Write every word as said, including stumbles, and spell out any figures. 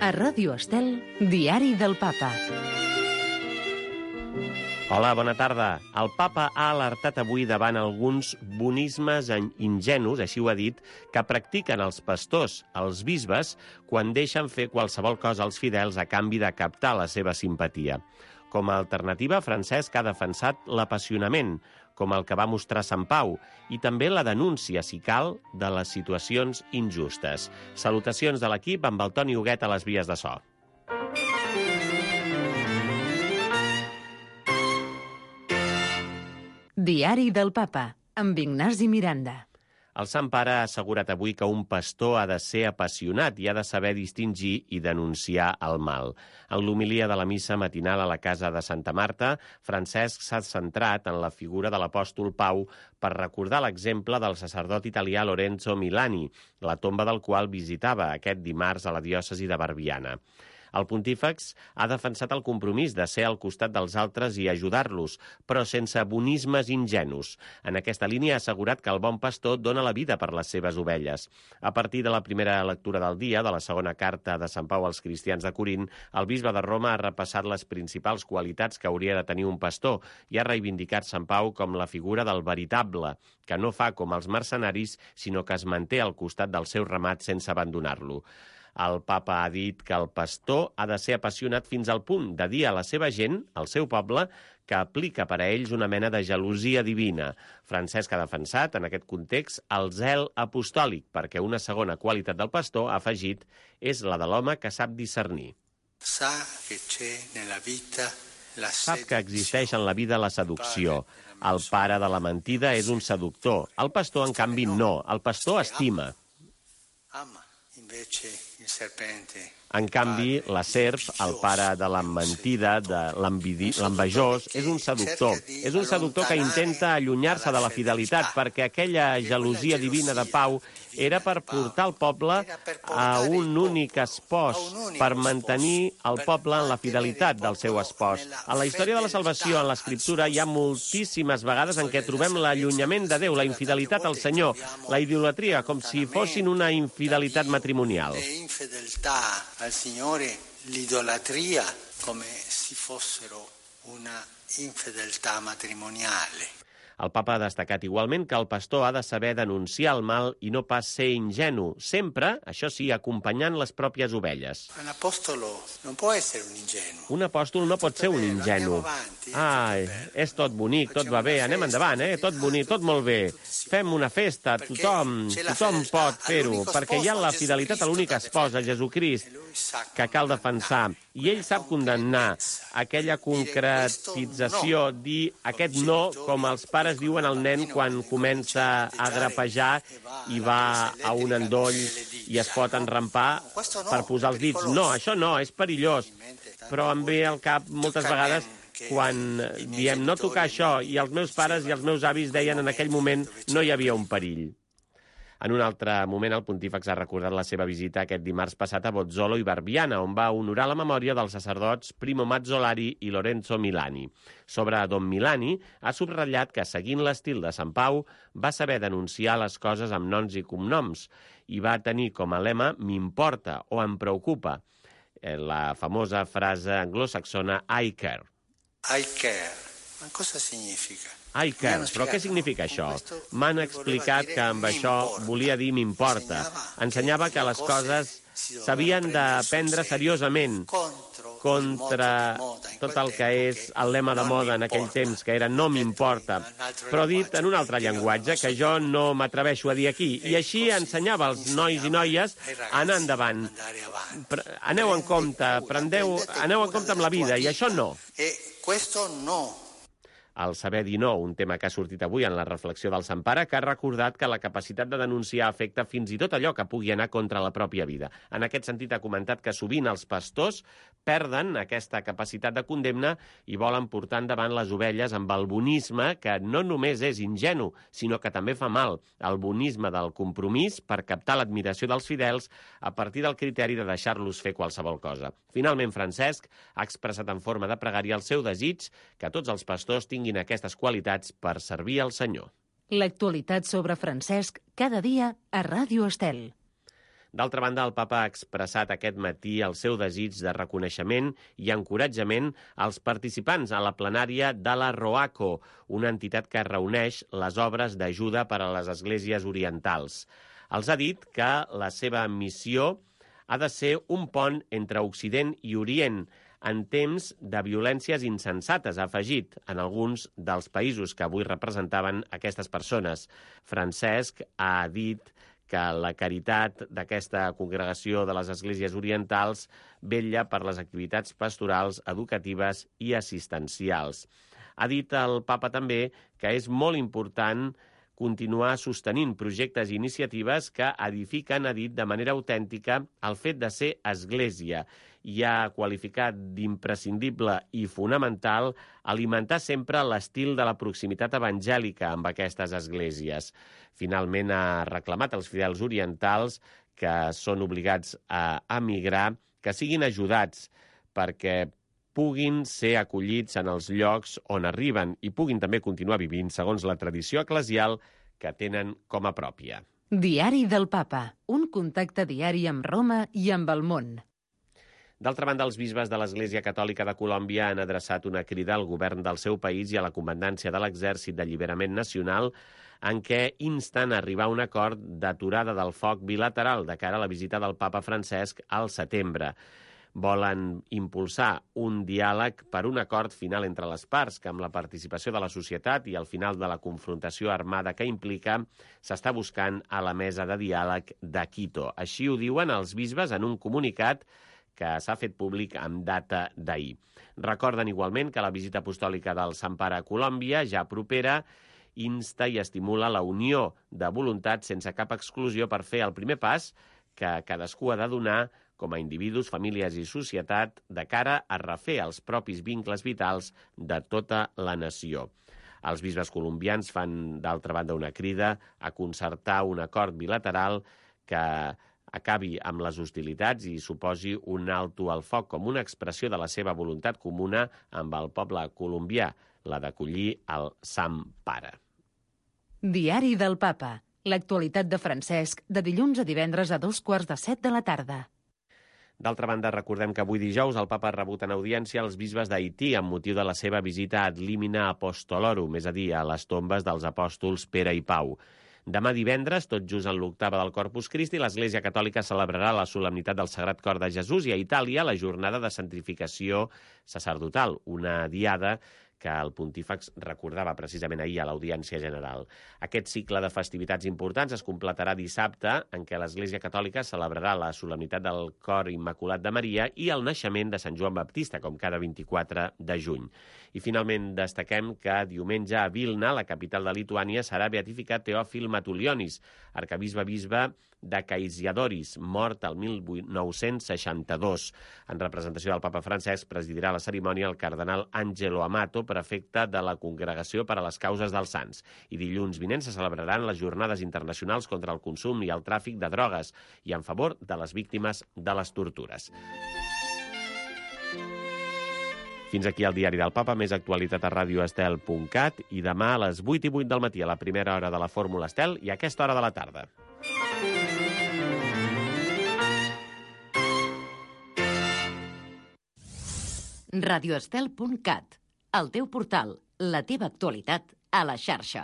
A Ràdio Estel, Diari del Papa. Hola, bona tarda. El papa ha alertat avui davant alguns bonismes ingenus, així ho ha dit, que practiquen els pastors, els bisbes, quan deixen fer qualsevol cosa als fidels a canvi de captar la seva simpatia. Com a alternativa, Francesc ha defensat l'apassionament, com el que va mostrar Sant Pau, i també la denúncia, si cal, de les situacions injustes. Salutacions de l'equip amb el Toni Huguet a les vies de so. Diari del Papa, amb Ignasi Miranda. El Sant Pare ha assegurat avui que un pastor ha de ser apassionat i ha de saber distingir i denunciar el mal. En l'homilia de la missa matinal a la casa de Santa Marta, Francesc s'ha centrat en la figura de l'apòstol Pau per recordar l'exemple del sacerdot italià Lorenzo Milani, la tomba del qual visitava aquest dimarts a la diòcesi de Barbiana. El pontífex ha defensat el compromís de ser al costat dels altres i ajudar-los, però sense bonismes ingenus. En aquesta línia ha assegurat que el bon pastor dona la vida per les seves ovelles. A partir de la primera lectura del dia, de la segona carta de Sant Pau als cristians de Corint, el bisbe de Roma ha repassat les principals qualitats que hauria de tenir un pastor i ha reivindicat Sant Pau com la figura del veritable, que no fa com els mercenaris, sinó que es manté al costat del seu ramat sense abandonar-lo. El papa ha dit que el pastor ha de ser apassionat fins al punt de dir a la seva gent, al seu poble, que aplica per a ells una mena de gelosia divina. Francesc ha defensat, en aquest context, el zel apostòlic, perquè una segona qualitat del pastor, ha afegit, és la de l'home que sap discernir. Sap que existeix en la vida la seducció. El pare de la mentida és un seductor. El pastor, en canvi, no. El pastor estima. En canvi, la serp, el pare de la mentida, de l'envejós, és un seductor. És un seductor que intenta allunyar-se de la fidelitat, perquè aquella gelosia divina de Pau era per portar el poble a un únic espòs, per mantenir el poble en la fidelitat del seu espòs. A la història de la salvació, en l'Escriptura, hi ha moltíssimes vegades en què trobem l'allunyament de Déu, la infidelitat al Senyor, la idolatria, com si fossin una infidelitat matrimonial. Al Signore, l'idolatria come se fossero una infedeltà matrimoniale. El papa ha destacat igualment que el pastor ha de saber denunciar el mal i no pas ser ingenu, sempre, això sí, acompanyant les pròpies ovelles. Un apòstol no pot ser un ingenu. Un apòstol no pot ser un ingenu. Ai, és tot bonic, tot va bé, anem endavant, eh? Tot bonic, tot molt bé. Fem una festa, tothom, tothom pot fer-ho, perquè hi ha la fidelitat a l'únic espòs, a Jesucrist, que cal defensar. I ell sap condemnar aquella concretització, dir aquest no, com els pares diuen al nen quan comença a drapejar i va a un endoll i es pot enrampar per posar els dits. No, això no, és perillós. Però em ve al cap moltes vegades quan diem no tocar això i els meus pares i els meus avis deien en aquell moment no hi havia un perill. En un altre moment, el pontífex ha recordat la seva visita aquest dimarts passat a Bozzolo i Barbiana, on va honorar la memòria dels sacerdots Primo Mazzolari i Lorenzo Milani. Sobre Don Milani, ha subratllat que, seguint l'estil de Sant Pau, va saber denunciar les coses amb noms i cognoms i va tenir com a lema «m'importa» o «em preocupa», la famosa frase anglosaxona «I care». I care. Ma cosa significa? I care. Però què significa això? M'han explicat que amb això volia dir m'importa. Ensenyava que les coses s'havien de prendre seriosament contra tot el que és el lema de moda en aquell temps, que era no m'importa, però dit en un altre llenguatge que jo no m'atreveixo a dir aquí. I així ensenyava als nois i noies a anar endavant. Aneu en compte, prendeu, aneu en compte amb la vida, i això no. E questo no. El saber dir no, un tema que ha sortit avui en la reflexió del Sant Pare, que ha recordat que la capacitat de denunciar afecta fins i tot allò que pugui anar contra la pròpia vida. En aquest sentit, ha comentat que sovint els pastors perden aquesta capacitat de condemna i volen portar endavant les ovelles amb el bonisme que no només és ingenu, sinó que també fa mal, el bonisme del compromís per captar l'admiració dels fidels a partir del criteri de deixar-los fer qualsevol cosa. Finalment, Francesc ha expressat en forma de pregària el seu desig que tots els pastors tinguin tinguin aquestes qualitats per servir al Senyor. L'actualitat sobre Francesc cada dia a Ràdio Estel. D'altra banda, el papa ha expressat aquest matí el seu desig de reconeixement i encoratjament als participants a la plenària de la ROACO, una entitat que reuneix les obres d'ajuda per a les esglésies orientals. Els ha dit que la seva missió ha de ser un pont entre Occident i Orient en temps de violències insensates, ha afegit, en alguns dels països que avui representaven aquestes persones. Francesc ha dit que la caritat d'aquesta congregació de les esglésies orientals vetlla per les activitats pastorals, educatives i assistencials. Ha dit el papa també que és molt important continuar sostenint projectes i iniciatives que edifiquen, ha dit, de manera autèntica el fet de ser església i ha qualificat d'imprescindible i fonamental alimentar sempre l'estil de la proximitat evangèlica amb aquestes esglésies. Finalment ha reclamat als fidels orientals que són obligats a emigrar, que siguin ajudats perquè puguin ser acollits en els llocs on arriben i puguin també continuar vivint segons la tradició eclesial que tenen com a pròpia. Diari del Papa, un contacte diari amb Roma i amb el món. D'altra banda, els bisbes de l'Església Catòlica de Colòmbia han adreçat una crida al govern del seu país i a la comandància de l'Exèrcit d'Alliberament Nacional en què insten a arribar a un acord d'aturada del foc bilateral de cara a la visita del papa Francesc al setembre. Volen impulsar un diàleg per un acord final entre les parts, que amb la participació de la societat i al final de la confrontació armada que implica, s'està buscant a la mesa de diàleg de Quito. Així ho diuen els bisbes en un comunicat que s'ha fet públic amb data d'ahir. Recorden igualment que la visita apostòlica del Sant Pare a Colòmbia, ja propera, insta i estimula la unió de voluntats sense cap exclusió per fer el primer pas que cadascú ha de donar com a individus, famílies i societat de cara a refer els propis vincles vitals de tota la nació. Els bisbes colombians fan, d'altra banda, una crida a concertar un acord bilateral que acabi amb les hostilitats i suposi un alto al foc com una expressió de la seva voluntat comuna amb el poble colombià, la d'acollir el Sant Pare. Diari del Papa. L'actualitat de Francesc, de dilluns a divendres a dos quarts de set de la tarda. D'altra banda, recordem que avui dijous el papa ha rebut en audiència els bisbes d'Haití amb motiu de la seva visita ad limina apostolorum, és a dir, a les tombes dels apòstols Pere i Pau. Demà divendres, tot just en l'octava del Corpus Christi, l'Església Catòlica celebrarà la solemnitat del Sagrat Cor de Jesús i a Itàlia la jornada de santificació sacerdotal, una diada que el pontífex recordava precisament ahir a l'Audiència General. Aquest cicle de festivitats importants es completarà dissabte, en què l'Església Catòlica celebrarà la solemnitat del Cor Immaculat de Maria i el naixement de Sant Joan Baptista, com cada vint-i-quatre de juny. I finalment destaquem que diumenge a Vilna, la capital de Lituània, serà beatificat Teòfil Matulionis, arquebisbe-bisbe de Kaišiadorys, mort el mil nou-cents seixanta-dos. En representació del papa Francesc presidirà la cerimònia el cardenal Angelo Amato, prefecte de la Congregació per a les Causes dels Sants. I dilluns vinent se celebraran les jornades internacionals contra el consum i el tràfic de drogues i en favor de les víctimes de les tortures. Fins aquí el Diari del Papa, més actualitat a radio estel punt cat i demà a les vuit i vuit del matí a la primera hora de la Fórmula Estel i a aquesta hora de la tarda. radio estel punt cat, el teu portal, la teva actualitat a la xarxa.